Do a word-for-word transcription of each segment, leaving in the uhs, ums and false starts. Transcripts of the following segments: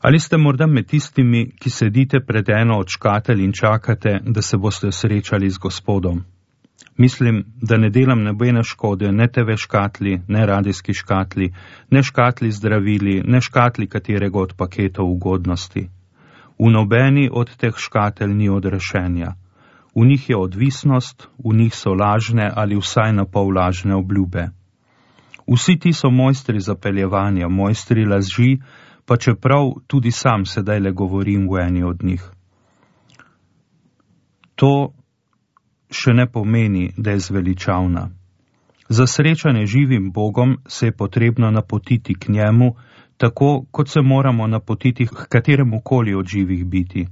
Ali ste morda med tistimi, ki sedite pred eno od škatel in čakate, da se boste srečali z Gospodom? Mislim, da ne delam nobene škode, ne te ve škatli, ne radijski škatli, ne škatli zdravili, ne škatli katerega od paketov ugodnosti. V nobeni od teh škatel ni odrešenja. V njih je odvisnost, v njih so lažne ali vsaj na pol lažne obljube. Vsi ti so mojstri zapeljevanja, mojstri laži, pa čeprav tudi sam sedaj le govorim v eni od njih. To še ne pomeni, da je zveličavna. Za srečanje živim Bogom se je potrebno napotiti k njemu, tako kot se moramo napotiti k kateremu koli od živih biti.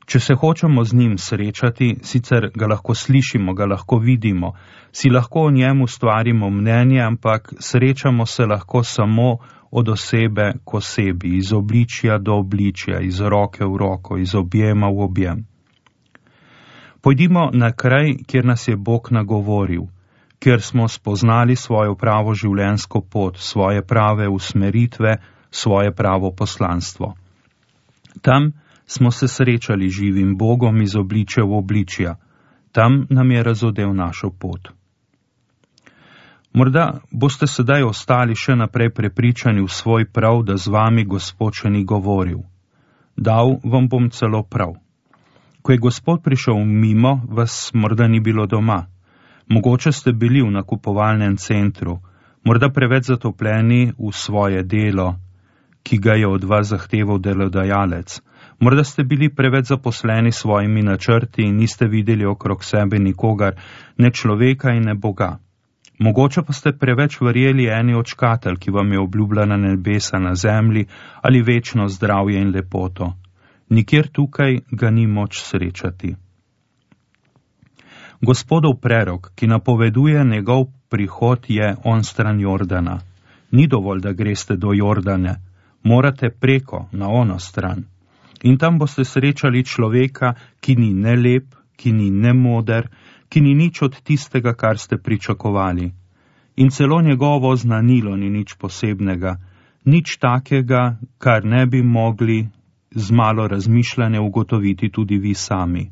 Če se hočemo z njim srečati, sicer ga lahko slišimo, ga lahko vidimo, si lahko o njemu stvarimo mnenje, ampak srečamo se lahko samo od osebe k osebi, iz obličja do obličja, iz roke v roko, iz objema v objem. Pojdimo na kraj, kjer nas je Bog nagovoril, kjer smo spoznali svojo pravo življenjsko pot, svoje prave usmeritve, svoje pravo poslanstvo. Tam smo se srečali živim Bogom iz obličja v obličja, tam nam je razodel našo pot. Morda boste sedaj ostali še naprej prepričani v svoj prav, da z vami Gospod še ni govoril. Dal vam bom celo prav. Ko je Gospod prišel mimo, vas morda ni bilo doma. Mogoče ste bili v nakupovalnem centru, morda preveč zatopljeni v svoje delo, ki ga je od vas zahteval delodajalec. Morda ste bili preveč zaposleni s svojimi načrti in niste videli okrog sebe nikogar, ne človeka in ne Boga. Mogoče pa ste preveč verjeli eni od škatel, ki vam je obljubljena nebesa na zemlji ali večno zdravje in lepoto. Nikjer tukaj ga ni moč srečati. Gospodov prerok, ki napoveduje njegov prihod, je onstran Jordana. Ni dovolj, da greste do Jordane, morate preko, na ono stran. In tam boste srečali človeka, ki ni ne lep, ki ni ne moder, ki ni nič od tistega, kar ste pričakovali. In celo njegovo znanilo ni nič posebnega, nič takega, kar ne bi mogli z malo razmišljanja ugotoviti tudi vi sami.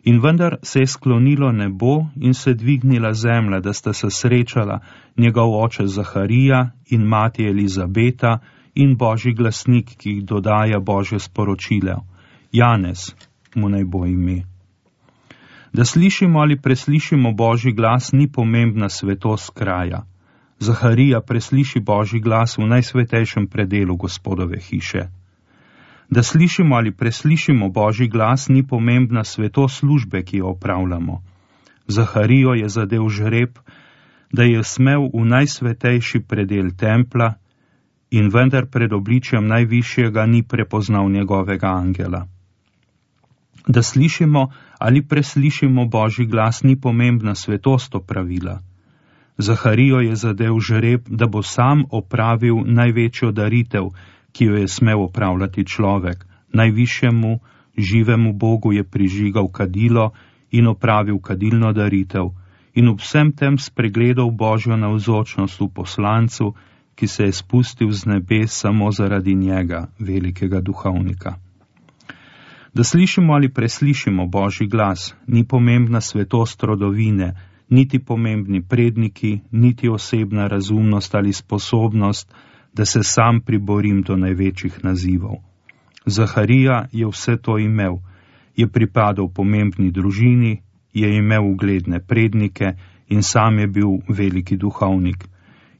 In vendar se je sklonilo nebo in se dvignila zemlja, da sta se srečala njegov oče Zaharija in mati Elizabeta in Božji glasnik, ki jih dodaja Božje sporočile. Janez mu naj bo ime. Da slišimo ali preslišimo Božji glas, ni pomembna svetost kraja. Zaharija presliši Božji glas v najsvetejšem predelu Gospodove hiše. Da slišimo ali preslišimo Božji glas, ni pomembna svetost službe, ki jo opravljamo. Zaharijo je zadel žreb, da je smel v najsvetejši predel templa in vendar pred obličjem najvišjega ni prepoznal njegovega angela. Da slišimo ali preslišimo Božji glas, ni pomembna svetost opravila. Zaharijo je zadel žreb, da bo sam opravil največjo daritev, ki jo je smel opravljati človek. Najvišjemu, živemu Bogu je prižigal kadilo in opravil kadilno daritev in v vsem tem spregledal Božjo navzočnost v poslancu, ki se je spustil z nebes samo zaradi njega, velikega duhovnika. Da slišimo ali preslišimo Božji glas, ni pomembna svetost rodovine, niti pomembni predniki, niti osebna razumnost ali sposobnost, da se sam priborim do največjih nazivov. Zaharija je vse to imel, je pripadal pomembni družini, je imel ugledne prednike in sam je bil veliki duhovnik.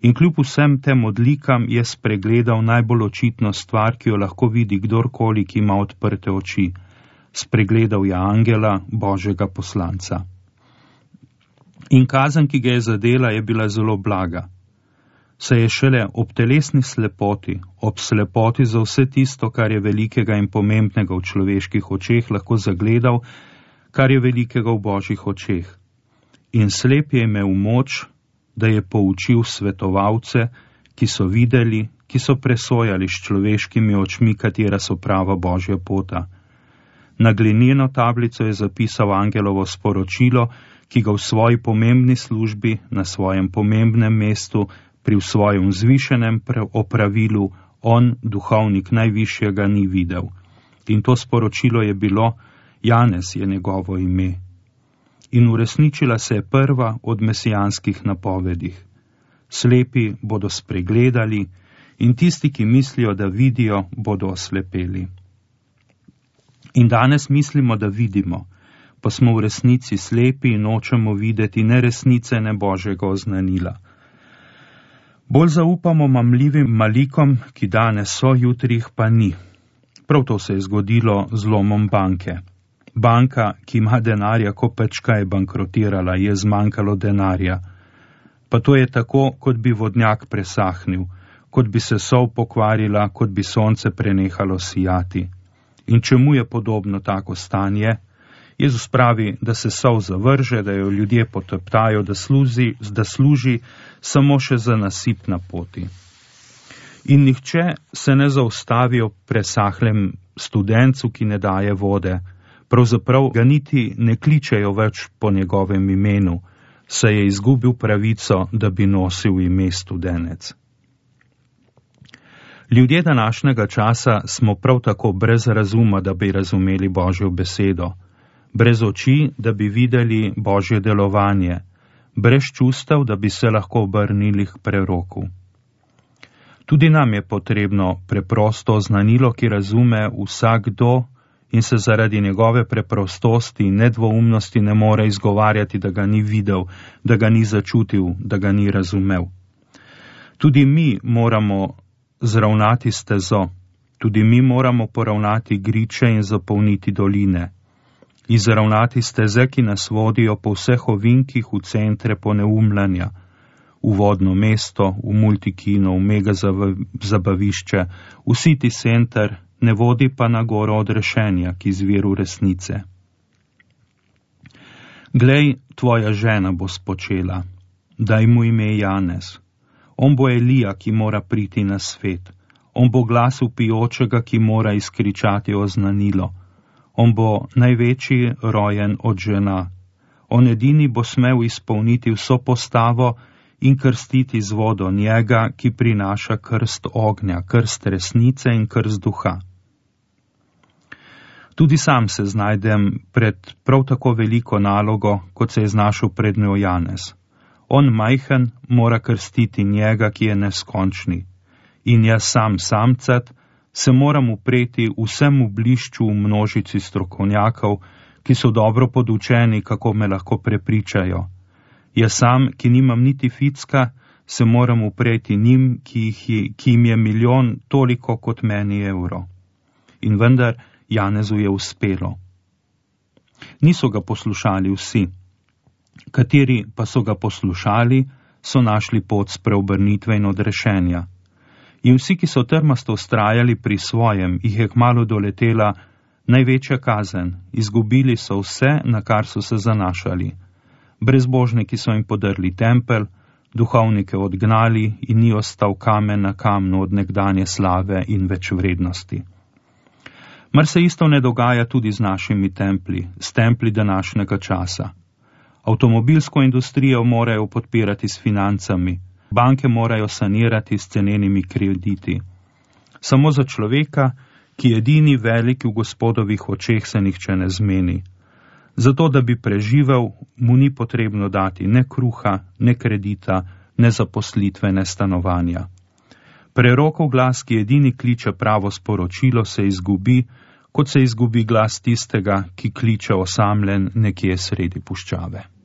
In kljub vsem tem odlikam je spregledal najbolj očitno stvar, ki jo lahko vidi kdorkoli, ki ima odprte oči. Spregledal je angela, Božjega poslanca. In kazen, ki ga je zadela, je bila zelo blaga. Se je šele ob telesni slepoti, ob slepoti za vse tisto, kar je velikega in pomembnega v človeških očeh, lahko zagledal, kar je velikega v Božjih očeh. In slep je imel moč, da je poučil svetovalce, ki so videli, ki so presojali s človeškimi očmi, katera so prava Božja pota. Na glineno tablico je zapisal angelovo sporočilo, ki ga v svoji pomembni službi, na svojem pomembnem mestu, pri svojem vzvišenem opravilu on, duhovnik najvišjega, ni videl. In to sporočilo je bilo, Janez je njegovo ime. In uresničila se je prva od mesijanskih napovedih. Slepi bodo spregledali in tisti, ki mislijo, da vidijo, bodo oslepeli. In danes mislimo, da vidimo, pa smo v resnici slepi in nočemo videti ne resnice, ne Božjega oznanila. Bolj zaupamo mamljivim malikom, ki danes so, jutri jih pa ni. Prav to se je zgodilo z lomom banke. Banka, ki ima denarja, ko pečka, je bankrotirala, je zmanjkalo denarja. Pa to je tako, kot bi vodnjak presahnil, kot bi se sol pokvarila, kot bi sonce prenehalo sijati. In čemu je podobno tako stanje? Jezus pravi, da se sol zavrže, da jo ljudje poteptajo, da služi, da služi samo še za nasip na poti. In nihče se ne zaustavi ob presahlem studencu, ki ne daje vode. Pravzaprav ga niti ne kličejo več po njegovem imenu, saj je izgubil pravico, da bi nosil ime studenec. Ljudje današnjega časa smo prav tako brez razuma, da bi razumeli Božjo besedo, brez oči, da bi videli Božje delovanje, brez čustev, da bi se lahko obrnili k preroku. Tudi nam je potrebno preprosto oznanilo, ki razume vsakdo in se zaradi njegove preprostosti in nedvoumnosti ne more izgovarjati, da ga ni videl, da ga ni začutil, da ga ni razumel. Tudi mi moramo zravnati stezo, tudi mi moramo poravnati griče in zapolniti doline, izravnati steze, ki nas vodijo po vseh ovinkih v centre poneumljanja, v vodno mesto, v multikino, v mega zabavišče, v city center, ne vodi pa na goro odrešenja, ki izviru resnice. Glej, tvoja žena bo spočela, daj mu ime Janez. On bo Elija, ki mora priti na svet. On bo glas vpijočega, ki mora izkričati oznanilo. On bo največji rojen od žena. On edini bo smel izpolniti vso postavo in krstiti z vodo njega, ki prinaša krst ognja, krst resnice in krst duha. Tudi sam se znajdem pred prav tako veliko nalogo, kot se je znašel pred njo Janez. On majhen mora krstiti njega, ki je neskončni. In jaz sam samcat se moram upreti vsemu blišču v množici strokovnjakov, ki so dobro podučeni, kako me lahko prepričajo. Jaz sam, ki nimam niti ficka, se moram upreti njim, ki, jih, ki jim je milijon toliko kot meni evro. In vendar Janezu je uspelo. Niso ga poslušali vsi. Kateri pa so ga poslušali, so našli pot spreobrnitve in odrešenja. In vsi, ki so trmasto vztrajali pri svojem, jih je kmalu doletela največja kazen. Izgubili so vse, na kar so se zanašali. Brezbožniki so jim podrli tempelj, duhovnike odgnali in ni ostal kamen na kamnu od nekdanje slave in več vrednosti. Mar se isto ne dogaja tudi z našimi templji, s templji današnjega časa. Avtomobilsko industrijo morajo podpirati s financami, banke morajo sanirati s cenenimi krediti. Samo za človeka, ki je edini velik v Gospodovih očeh, se nihče ne zmeni. Zato, da bi preživel, mu ni potrebno dati ne kruha, ne kredita, ne zaposlitve, ne stanovanja. Prerokov glas, ki edini kliče pravo sporočilo, se izgubi, kot se izgubi glas tistega, ki kliče osamljen nekje sredi puščave.